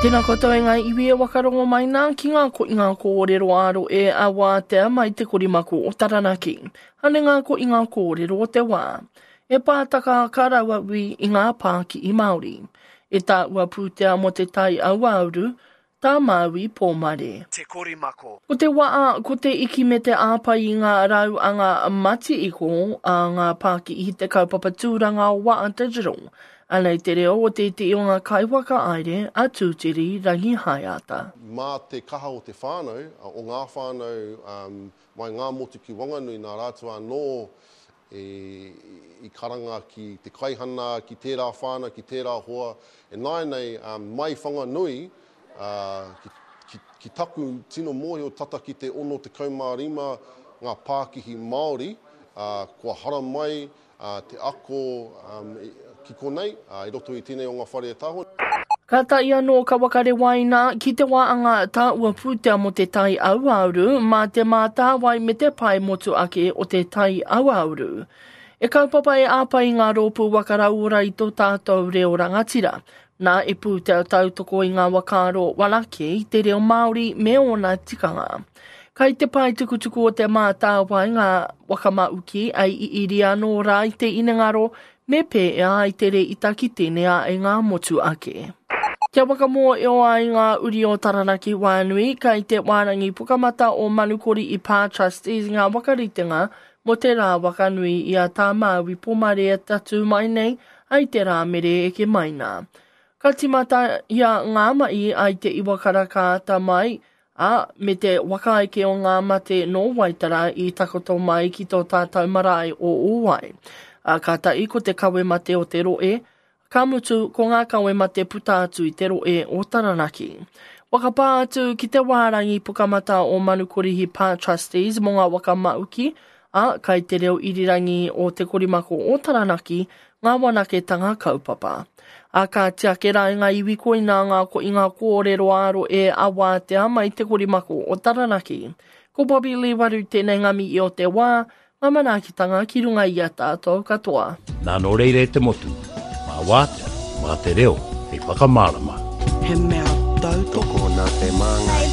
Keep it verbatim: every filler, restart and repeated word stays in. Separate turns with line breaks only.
Tēnā koutou e ngā iwi e wakarongo mai nā ki ngā ko i ngā kōrero āro e a wātea mai te korimako o Taranaki. Ane ngā ko i ngā kōrero o te wā. E pātaka ka raua ui i ngā pāki i Māori. E tā ua pūtea mō te tai auauru, tā Māui Pōmare.
Te korimako.
Ko te waa, ko te iki me te āpai i ngā rau a ngā mati iko a ngā pāki i te kaupapa tūranga o Waa Digital. Anei te reo o tētehi o ngā kaiwaka aere a Tūtiri Rangihaeata.
Mā te kaha o te whānau, o ngā whānau um, mai ngā motu ki Wanganui nā rātou anō e, i karanga ki te kaihana, ki tērā whānau, ki tērā hoa. E nāianei, um, mai Whanganui, uh, ki, ki, ki taku tino mōhio tata ki te ono tekau mā rima ngā pākihi Māori, uh, kua hara mai uh, te ako um, ki konei, uh, i roto i tēnei o ngā whare e tāho.
Ka tai anō ka wakarewaina ki te wāanga tā ua pūtea mō te tai auauru, mā te mātāwai me te pae motu ake o te tai auauru. E kaupapa e āpai i ngā rōpū wakarauora i tō tātou reo rangatira. Nā e pūtea tautoko i ngā wakaaro warake i te reo Māori me ōna tikanga. Kai te pae tukutuku o te mātāwai ngā wakamauki ai i iri anō rā i te inengaro me pēea ai te re ita ki tēnei e ngā motu ake. Kia whakamō ai ngā uri o Taranaki Wānui, kai te wārangi pukamata o Manukori i Pā Trustees ngā wakaritenga mō te rā wakanui i a tā Māui Pomare tatū mai nei ai te rā mere eke mai nā. Ka timata ia ngā mai ai te iwa karaka ata mai, a me te wakaeke o ngā mate no Waitara i takoto mai ki tō tātou marae o Ōwai. A ka tahi ko te kawe mate o te roe, ka mutu ko ngā kawe mate puta atu i te roe o Taranaki. Wakapā atu ki te wārangi pukamata o Manukorihi Pā Trustees mō ngā wakamauki, a kai te reo irirangi o Te Korimako o Taranaki ngā wanaketanga kaupapa. A ka tiake rā i ngā iwi koina ngā ko i ngā kōrero āro e a wātea mai Te Korimako o Taranaki. Ko Bobby Lee Waru tēnei ngā mihi o te wā, ngā manaakitanga ki runga i a tātou katoa.
Nā nō reira e te motu, mā wātea, mā te reo, hei whakamārama.
He mea tautoko
Tokona te māngai.